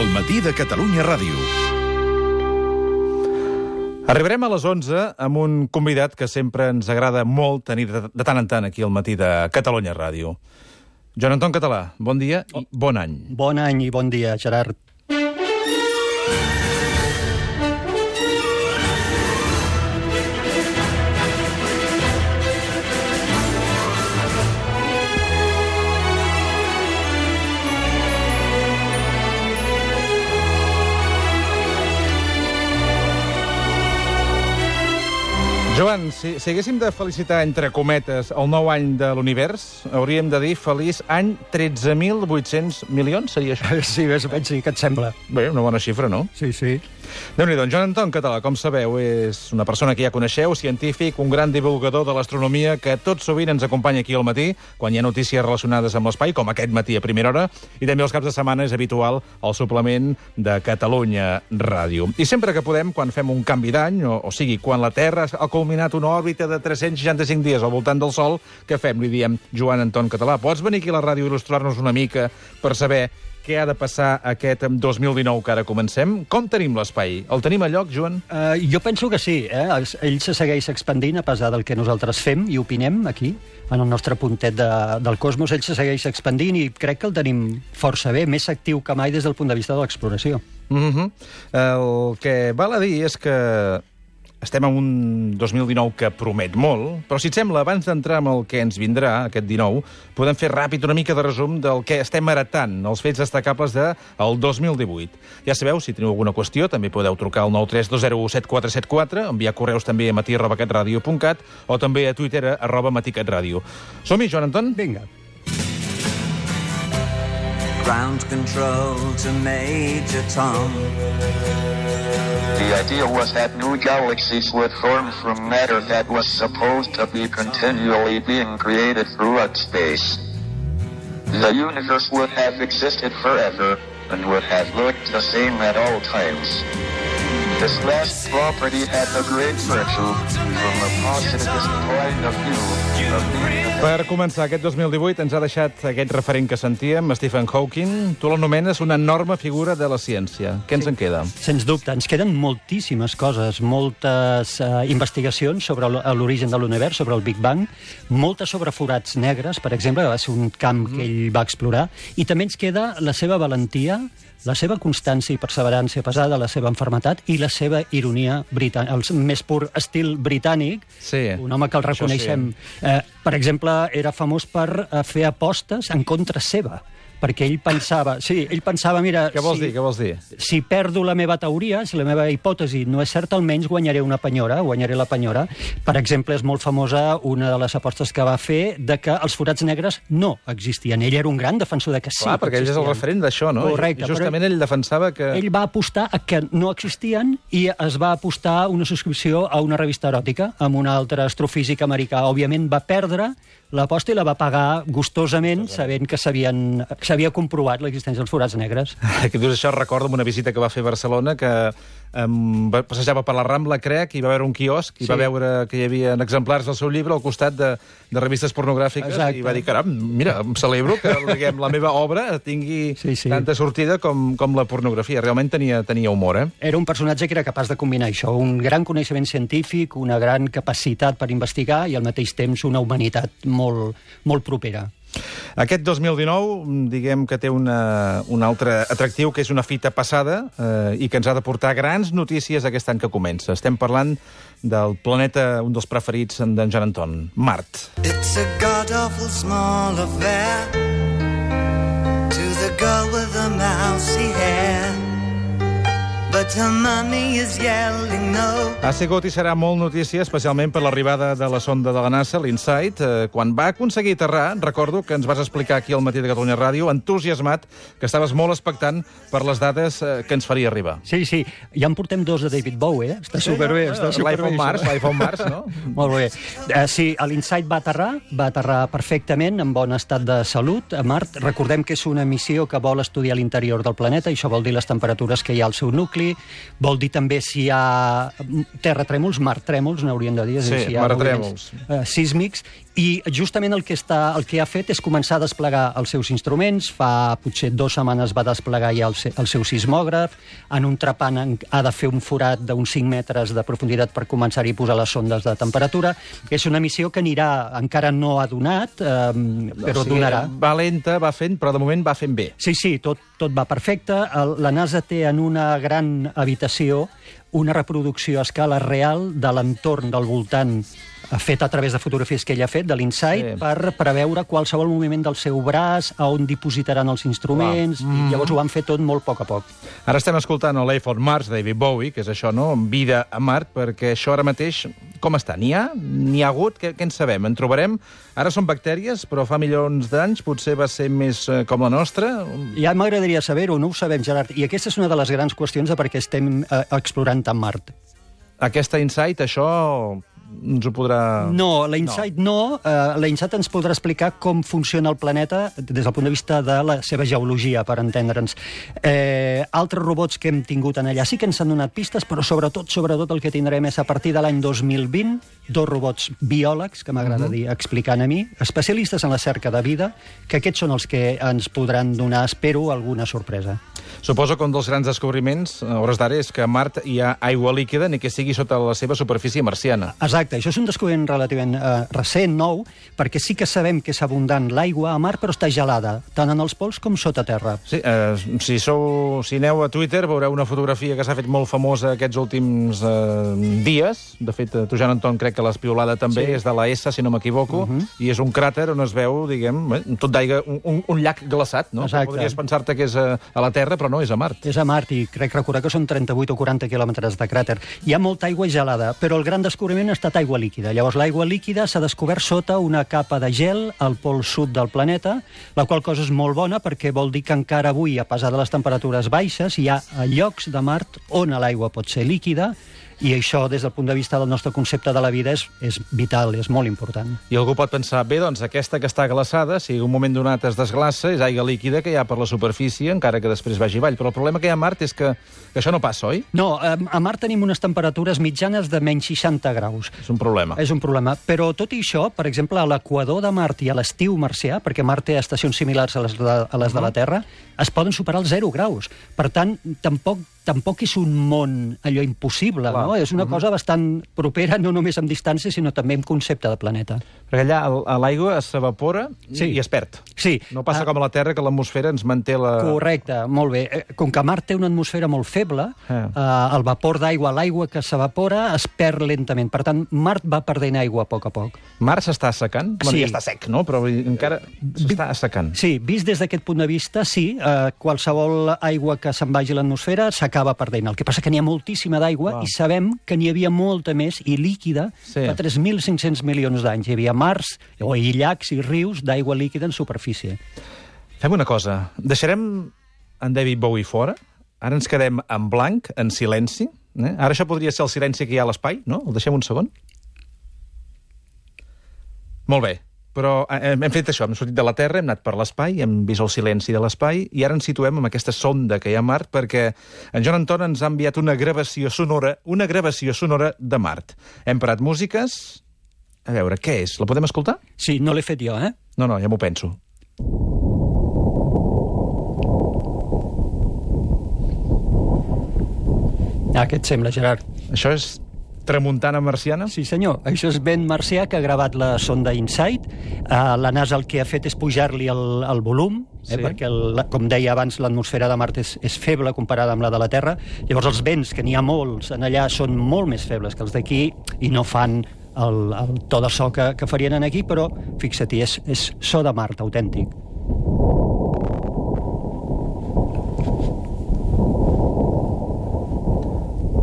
El matí de Catalunya Ràdio. Arribarem a les 11 amb un convidat que sempre ens agrada molt tenir de tant en tant aquí al matí de Catalunya Ràdio. Joan Anton Català, bon dia i bon any. Bon any i bon dia, Gerard. Joan, si haguéssim de felicitar, entre cometes, el nou any de l'univers, hauríem de dir feliç any 13.800 milions, seria això? Sí, més o menys sí, què et sembla? Bé, una bona xifra, no? Sí, sí. Déu-n'hi-do, Joan Anton Català, com sabeu, és una persona que ja coneixeu, científic, un gran divulgador de l'astronomia, que tot sovint ens acompanya aquí al matí, quan hi ha notícies relacionades amb l'espai, com aquest matí a primera hora, i també els caps de setmana és habitual el suplement de Catalunya Ràdio. I sempre que podem, quan fem un canvi d'any, o sigui, quan la Terra ha culminat una òrbita de 365 dies al voltant del Sol, què fem? Li diem, Joan Anton Català, pots venir aquí a la ràdio i il·lustrar-nos una mica per saber què ha de passar aquest 2019 que ara comencem? Com tenim l'espai? El tenim a lloc, Joan? Jo penso que sí. Ell se segueix expandint a pesar del que nosaltres fem i opinem aquí, en el nostre puntet del cosmos. Ell se segueix expandint i crec que el tenim força bé, més actiu que mai des del punt de vista de l'exploració. El que val a dir és que estem en un 2019 que promet molt, però si et sembla, abans d'entrar amb el que ens vindrà, aquest 19, podem fer ràpid una mica de resum del que estem heretant, els fets destacables del 2018. Ja sabeu, si teniu alguna qüestió, també podeu trucar al 932017474, enviar correus també a matí@catradio.cat o també a Twitter @matí-catradio. Som-hi, Joan Anton? Vinga. Ground control to Major Tom. The idea was that new galaxies would form from matter that was supposed to be continually being created throughout space. The universe would have existed forever and would have looked the same at all times. This last property had the great virtue, from a positivist point of view, of being... Per començar, aquest 2018 ens ha deixat aquest referent que sentíem, Stephen Hawking. Tu l'anomenes una enorme figura de la ciència. Què ens en queda? Sens dubte, ens queden moltíssimes coses, moltes investigacions sobre l'origen de l'univers, sobre el Big Bang, moltes sobre forats negres, per exemple, que va ser un camp que ell va explorar, i també ens queda la seva valentia, la seva constància i perseverança a pesar de la seva enfermetat i la seva ironia britànica, el més pur estil britànic, sí, un home que el reconeixem. Sí. Per exemple, era famós per fer apostes en contra seva, perquè ell pensava, mira... Què vols dir? Si perdo la meva teoria, si la meva hipòtesi no és certa, almenys guanyaré la penyora. Per exemple, és molt famosa una de les apostes que va fer de que els forats negres no existien. Ell era un gran defensor de que sí. Clar, perquè ell és el referent d'això, no? Correcte. I justament ell defensava que... Ell va apostar a que no existien i es va apostar una subscripció a una revista eròtica amb un altre astrofísic americà. Òbviament va perdre l'aposta i la va pagar gustosament, sabent que s'havia comprovat l'existència dels forats negres. Que dius això, recordo una visita que va fer a Barcelona, que passejava per la Rambla, crec, i va veure un quiosc, i va veure que hi havia exemplars del seu llibre al costat de revistes pornogràfiques. Exacte. I va dir, caram, mira, em celebro que la meva obra tingui tanta sortida com la pornografia. Realment tenia humor, eh? Era un personatge que era capaç de combinar això, un gran coneixement científic, una gran capacitat per investigar i al mateix temps una humanitat molt propera. Aquest 2019, diguem que té un altre atractiu, que és una fita passada i que ens ha de portar grans notícies aquest any que comença. Estem parlant del planeta, un dels preferits d'en Joan Anton, Mart. It's a god-awful small affair to the girl with the mousy hair. But her mommy is yelling no. Ha sigut i serà molt notícia, especialment per l'arribada de la sonda de la NASA, l'InSight. Quan va aconseguir aterrar, recordo que ens vas explicar aquí al matí de Catalunya Ràdio, entusiasmat, que estaves molt expectant per les dades que ens faria arribar. Sí, ja en portem dos de David Bowie, Està superbé. L'iPhone Mars, no? Molt bé. Sí, l'InSight va aterrar perfectament, en bon estat de salut a Mart. Recordem que és una missió que vol estudiar l'interior del planeta, i això vol dir les temperatures que hi ha al seu nucli, vol dir també si hi ha terratrèmols, martrèmols, n'hauríem de dir. Sí, si hi ha martrèmols. Sísmics, I justament el que ha fet és començar a desplegar els seus instruments. Fa potser 2 setmanes va desplegar ja el seu sismògraf. En un trepant ha de fer un forat d'uns 5 metres de profunditat per començar-hi a posar les sondes de temperatura. És una missió que encara no ha donat, però donarà. Va lenta, va fent, però de moment va fent bé. Sí, tot va perfecte. La NASA té en una gran habitació una reproducció a escala real de l'entorn del voltant fet a través de fotografies que ell ha fet, de l'Insight, per preveure qualsevol moviment del seu braç, a on dipositaran els instruments, i llavors ho van fer tot molt a poc. Ara estem escoltant el Life on Mars, David Bowie, que és això, no? Vida a Mart, perquè això ara mateix, com està? N'hi ha? N'hi ha hagut? Què en sabem? En trobarem? Ara són bactèries, però fa milions d'anys potser va ser més com la nostra? Ja m'agradaria saber-ho, no ho sabem, Gerard. I aquesta és una de les grans qüestions de per què estem explorant tant Mart. Aquesta Insight, això ens ho podrà... No, la Insight no. La Insight ens podrà explicar com funciona el planeta des del punt de vista de la seva geologia, per entendre'ns. Altres robots que hem tingut en allà sí que ens han donat pistes, però sobretot el que tindrem és a partir de l'any 2020 2 robots biòlegs, que m'agrada dir, explicant a mi, especialistes en la cerca de vida, que aquests són els que ens podran donar, espero, alguna sorpresa. Suposo que un dels grans descobriments, a hores d'ara, és que a Mart hi ha aigua líquida, ni que sigui sota la seva superfície marciana. Exacte, això és un descobriment relativament recent, nou, perquè sí que sabem que és abundant l'aigua a Mart, però està gelada, tant en els pols com sota terra. Sí, si aneu a Twitter veureu una fotografia que s'ha fet molt famosa aquests últims dies. De fet, tu, Joan Anton, crec que l'espiolada també és de la S, si no m'equivoco, i és un cràter on es veu, diguem, tot d'aigua, un llac glaçat, no? Exacte. Podries pensar-te que és a la Terra, però no, és a Mart. És a Mart, i crec recordar que són 38 o 40 quilòmetres de cràter. Hi ha molta aigua gelada, però el gran descobriment ha estat aigua líquida. Llavors, l'aigua líquida s'ha descobert sota una capa de gel al pol sud del planeta, la qual cosa és molt bona perquè vol dir que encara avui, a pesar de les temperatures baixes, hi ha llocs de Mart on l'aigua pot ser líquida, i això, des del punt de vista del nostre concepte de la vida, és vital, és molt important. I algú pot pensar, bé, doncs aquesta que està glaçada, si en un moment donat es desglaça, és aigua líquida que hi ha per la superfície, encara que després vagi avall. Però el problema que hi ha a Mart és que això no passa, oi? No, a Mart tenim unes temperatures mitjanes de menys 60 graus. És un problema. És un problema. Però tot i això, per exemple, a l'equador de Mart i a l'estiu marcià, perquè Mart té estacions similars a les de la Terra, es poden superar els 0 graus. Per tant, tampoc és un món allò impossible, no? És una cosa bastant propera, no només en distància, sinó també en concepte de planeta. Perquè allà l'aigua s'evapora i es perd. Sí. No passa com a la Terra, que l'atmosfera ens manté la... Correcte, molt bé. Com que Mart té una atmosfera molt feble, el vapor d'aigua, l'aigua que s'evapora, es perd lentament. Per tant, Mart va perdent aigua a poc. Mart s'està assecant? Sí. Ja està sec, no? Però encara s'està assecant. Sí, vist des d'aquest punt de vista, sí. Qualsevol aigua que se'n vagi a l'atmosfera s'acaba perdent. El que passa que n'hi ha moltíssima d'aigua i sabem que n'hi havia molta més i líquida fa 3.500 milions d'anys. Hi havia mars i llacs i rius d'aigua líquida en superfície. Fem una cosa. Deixarem en David Bowie fora. Ara ens quedem en blanc, en silenci. Ara això podria ser el silenci que hi ha a l'espai, no? El deixem un segon? Molt bé. Però hem fet això, hem sortit de la Terra, hem anat per l'espai, hem vist el silenci de l'espai, i ara ens situem amb aquesta sonda que hi ha a Mart, perquè en Joan Anton ens ha enviat una gravació sonora de Mart. Hem parat músiques. A veure, què és? La podem escoltar? Sí, no l'he fet jo, eh? No, ja m'ho penso. Què et sembla, Gerard? Això és tramuntana marciana? Sí, senyor. Això és vent marcià que ha gravat la sonda InSight. La NASA el que ha fet és pujar-li el volum, perquè, com deia abans, l'atmosfera de Mart és feble comparada amb la de la Terra. Llavors, els vents, que n'hi ha molts en allà, són molt més febles que els d'aquí i no fan el to de so que farien aquí, però, fixa-t'hi, és so de Mart, autèntic.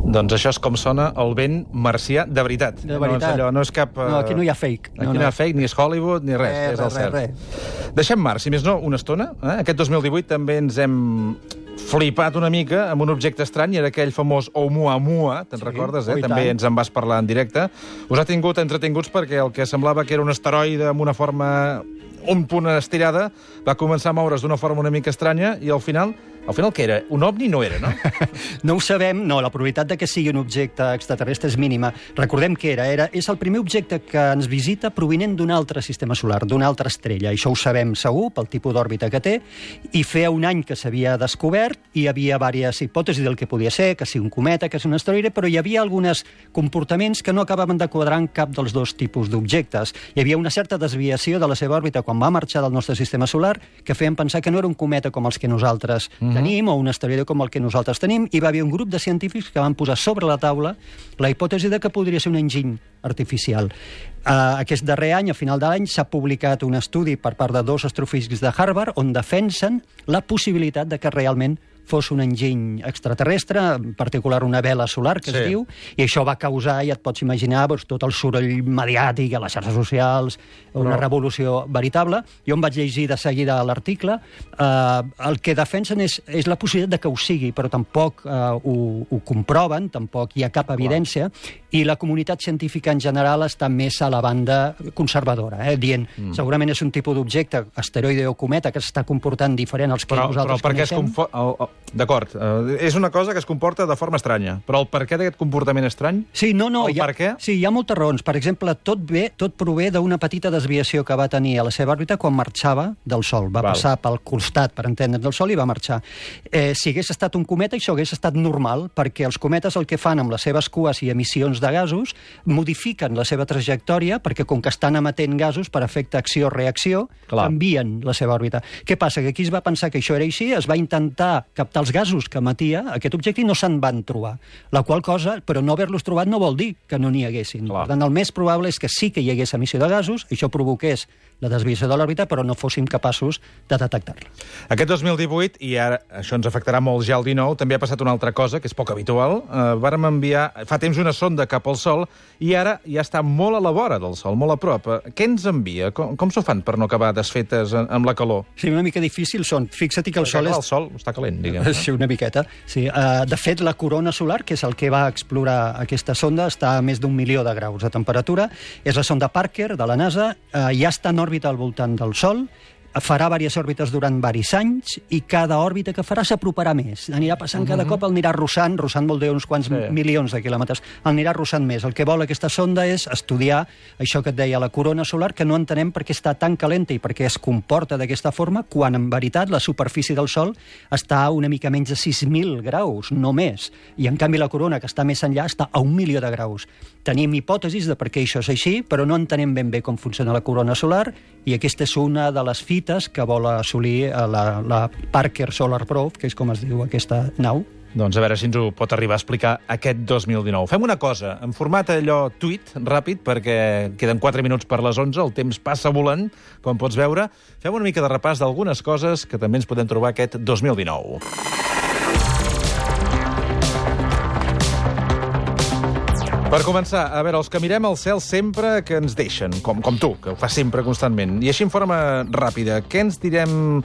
Doncs això és com sona el vent marcià de veritat. De veritat. No és cap... No, aquí no hi ha fake. Aquí no hi ha fake, ni és Hollywood, ni res. És el cert. Deixem Mart, si més no, una estona. Aquest 2018 també ens hem flipat una mica amb un objecte estrany, era aquell famós Oumuamua, te'n recordes? També ens en vas parlar en directe. Us ha tingut entretinguts perquè el que semblava que era un asteroide amb una forma un punt estirada va començar a moure's d'una forma una mica estranya i al final Al final, què era? Un ovni no era, no? No ho sabem, no, la probabilitat de que sigui un objecte extraterrestre és mínima. Recordem que és el primer objecte que ens visita provinent d'un altre sistema solar, d'una altra estrella. Això ho sabem segur, pel tipus d'òrbita que té, i feia un any que s'havia descobert, i hi havia diverses hipòtesis del que podia ser, que sigui un cometa, que sigui un asteroide, però hi havia alguns comportaments que no acabaven de quadrar en cap dels dos tipus d'objectes. Hi havia una certa desviació de la seva òrbita quan va marxar del nostre sistema solar, que feien pensar que no era un cometa com els que nosaltres tenim, o un asteroide com el que nosaltres tenim, i va haver un grup de científics que van posar sobre la taula la hipòtesi de que podria ser un enginy artificial. Aquest darrer any, a final de l'any, s'ha publicat un estudi per part de 2 astrofísics de Harvard on defensen la possibilitat de que realment fos un enginy extraterrestre, en particular una vela solar, que es diu, i això va causar, ja et pots imaginar, tot el soroll mediàtic a les xarxes socials, una revolució veritable. Jo em vaig llegir de seguida l'article. El que defensen és la possibilitat de que ho sigui, però tampoc ho comproven, tampoc hi ha cap evidència, i la comunitat científica en general està més a la banda conservadora, dient, segurament és un tipus d'objecte, asteroide o cometa, que s'està comportant diferent als que nosaltres coneixem. D'acord, és una cosa que es comporta de forma estranya, però el perquè d'aquest comportament estrany? Sí, no, per què? Sí, hi ha moltes raons. Per exemple, tot prové d'una petita desviació que va tenir a la seva òrbita quan marxava del Sol. Va passar pel costat, per entendre's, del Sol i va marxar. Si hagués estat un cometa, això hagués estat normal, perquè els cometes el que fan amb les seves cues i emissions de gasos modifiquen la seva trajectòria, perquè com que estan emetent gasos per efecte acció-reacció, canvien la seva òrbita. Què passa? Que aquí es va pensar que això era així, es va intentar captar els gasos que emetia aquest objecte i no se'n van trobar. La qual cosa, però no haver-los trobat no vol dir que no n'hi haguessin. Per tant, el més probable és que sí que hi hagués emissió de gasos, això provoqués la desviació de l'òrbita, però no fóssim capaços de detectar-la. Aquest 2018, i ara això ens afectarà molt ja el 19, també ha passat una altra cosa, que és poc habitual. Vàrem enviar fa temps una sonda cap al Sol i ara ja està molt a la vora del Sol, molt a prop. Què ens envia? Com s'ho fan per no acabar desfetes amb la calor? Sí, una mica difícil són. Fixa't que el Sol és... El Sol està calent, diguem. Sí, una miqueta. Sí. De fet, la corona solar, que és el que va explorar aquesta sonda, està a més d'1 milió de graus de temperatura. És la sonda Parker, de la NASA. Ja està en òrbita al voltant del Sol. Farà diverses òrbites durant diversos anys i cada òrbita que farà s'aproparà més. Anirà passant cada cop, el anirà russant vol dir uns quants milions de quilòmetres, el anirà russant més. El que vol aquesta sonda és estudiar això que et deia, la corona solar, que no entenem per què està tan calenta i per què es comporta d'aquesta forma, quan en veritat la superfície del Sol està a una mica menys de 6.000 graus, no més. I en canvi la corona, que està més enllà, està a 1 milió de graus. Tenim hipòtesis de per què això és així, però no entenem ben bé com funciona la corona solar, i aquesta és una de les fites que vol assolir la Parker Solar Probe, que és com es diu aquesta nau. Doncs a veure si ens ho pot arribar a explicar aquest 2019. Fem una cosa, en format allò tuit, ràpid, perquè queden 4 minuts per les 11, el temps passa volant, com pots veure. Fem una mica de repàs d'algunes coses que també ens podem trobar aquest 2019. Per començar, a veure, els que mirem al cel sempre que ens deixen, com tu, que ho fas sempre constantment. I així en forma ràpida, què ens direm...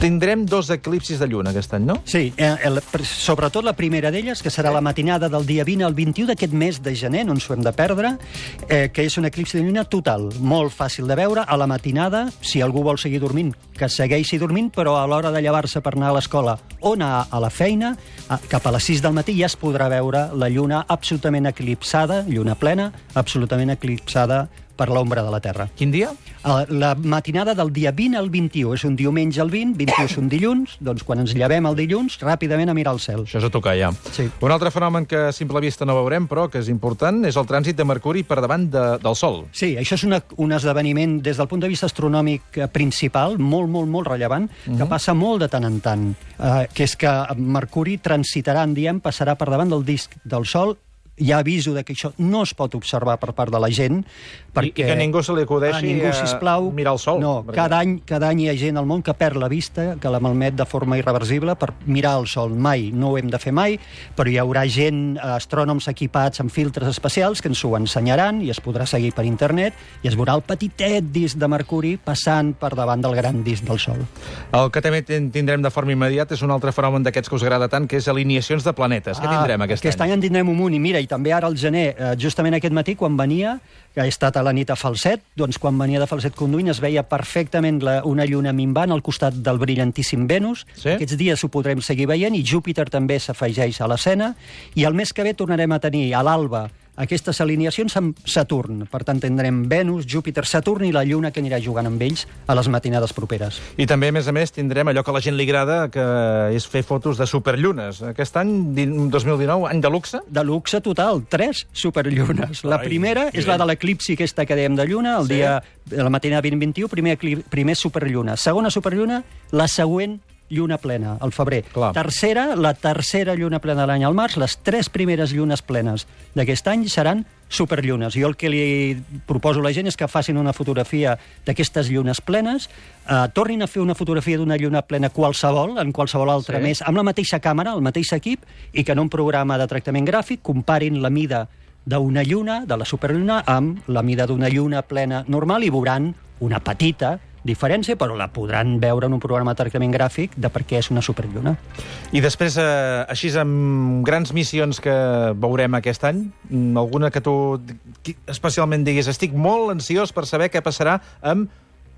Tindrem 2 eclipsis de lluna aquest any, no? Sí, sobretot la primera d'elles, que serà la matinada del dia 20 al 21 d'aquest mes de gener, no ens ho hem de perdre, que és un eclipsi de lluna total, molt fàcil de veure, a la matinada, si algú vol seguir dormint, que segueixi dormint, però a l'hora de llevar-se per anar a l'escola o anar a la feina, cap a les 6 del matí ja es podrà veure la lluna absolutament eclipsada, lluna plena, absolutament eclipsada per l'ombra de la Terra. Quin dia? La matinada del dia 20 al 21. És un diumenge al 20, 21 és un dilluns, doncs quan ens llevem el dilluns, ràpidament a mirar el cel. Això és a tocar, ja. Sí. Un altre fenomen que a simple vista no veurem, però que és important, és el trànsit de Mercuri per davant del Sol. Sí, això és un esdeveniment des del punt de vista astronòmic principal, molt, molt, molt rellevant, que passa molt de tant en tant, que és que Mercuri transitarà, passarà per davant del disc del Sol. Ja aviso que això no es pot observar per part de la gent, perquè... I que ningú se li acudeixi mirar el Sol. No, perquè... cada any hi ha gent al món que perd la vista, que la malmet de forma irreversible per mirar el Sol. Mai, no ho hem de fer mai, però hi haurà gent, astrònoms equipats amb filtres especials, que ens ho ensenyaran i es podrà seguir per internet, i es veurà el petitet disc de Mercuri passant per davant del gran disc del Sol. El que també tindrem de forma immediata és un altre fenomen d'aquests que us agrada tant, que és alineacions de planetes. Què tindrem aquest any? Aquest any en tindrem un munt, i mira, i també ara al gener, justament aquest matí, quan venia, que he estat a la nit a Falset, doncs quan venia de Falset conduint es veia perfectament una lluna minvant al costat del brillantíssim Venus. Sí? Aquests dies ho podrem seguir veient, i Júpiter també s'afegeix a l'escena, i el mes que ve tornarem a tenir a l'alba aquestes alineacions amb Saturn. Per tant, tindrem Venus, Júpiter, Saturn i la Lluna que anirà jugant amb ells a les matinades properes. I també, a més, tindrem allò que a la gent li agrada, que és fer fotos de superllunes. Aquest any, 2019, any de luxe? De luxe total, 3 superllunes. La primera és la de l'eclipsi aquesta que dèiem de lluna, el dia de la matinada 2021, primer superlluna. Segona superlluna, la següent lluna plena, al febrer. Clar. Tercera, la tercera lluna plena de l'any al març. Les 3 primeres llunes plenes d'aquest any seran superllunes. Jo el que li proposo a la gent és que facin una fotografia d'aquestes llunes plenes, tornin a fer una fotografia d'una lluna plena qualsevol, en qualsevol altre mes, amb la mateixa càmera, el mateix equip, i que en un programa de tractament gràfic comparin la mida d'una lluna, de la superlluna, amb la mida d'una lluna plena normal, i veuran una petita diferència, però la podran veure en un programa de tractament gràfic de per què és una superlluna. I després, així, amb grans missions que veurem aquest any, alguna que tu especialment diguis, estic molt ansiós per saber què passarà amb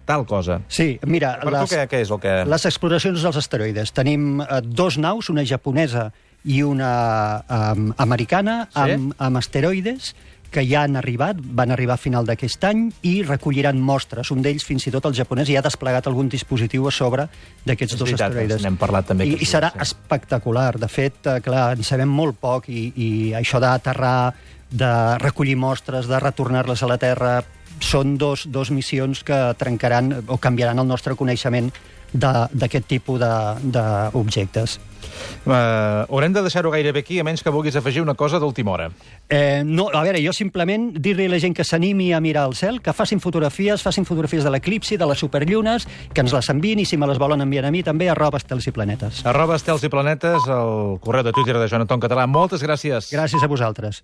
tal cosa. Sí, mira... Per tu què és el que... Les exploracions dels asteroides. Tenim 2 naus, una japonesa i una americana, amb asteroides, que ja han arribat, van arribar a final d'aquest any, i recolliran mostres. Un d'ells, fins i tot el japonès, ja ha desplegat algun dispositiu a sobre d'aquests 2 asteroides. N'hem parlat també. I serà espectacular. De fet, clar, en sabem molt poc, i això d'aterrar, de recollir mostres, de retornar-les a la Terra, són dos missions que trencaran o canviaran el nostre coneixement d'aquest tipus d'objectes. Haurem de deixar-ho gairebé aquí, a menys que vulguis afegir una cosa d'última hora. No, a veure, jo simplement dir-li a la gent que s'animi a mirar al cel, que facin fotografies de l'eclipsi, de les superllunes, que ens les enviïn, i si me les volen enviar a mi també, @estelsIplanetes. @estelsIplanetes, el correu de Twitter de Joan Anton Català. Moltes gràcies. Gràcies a vosaltres.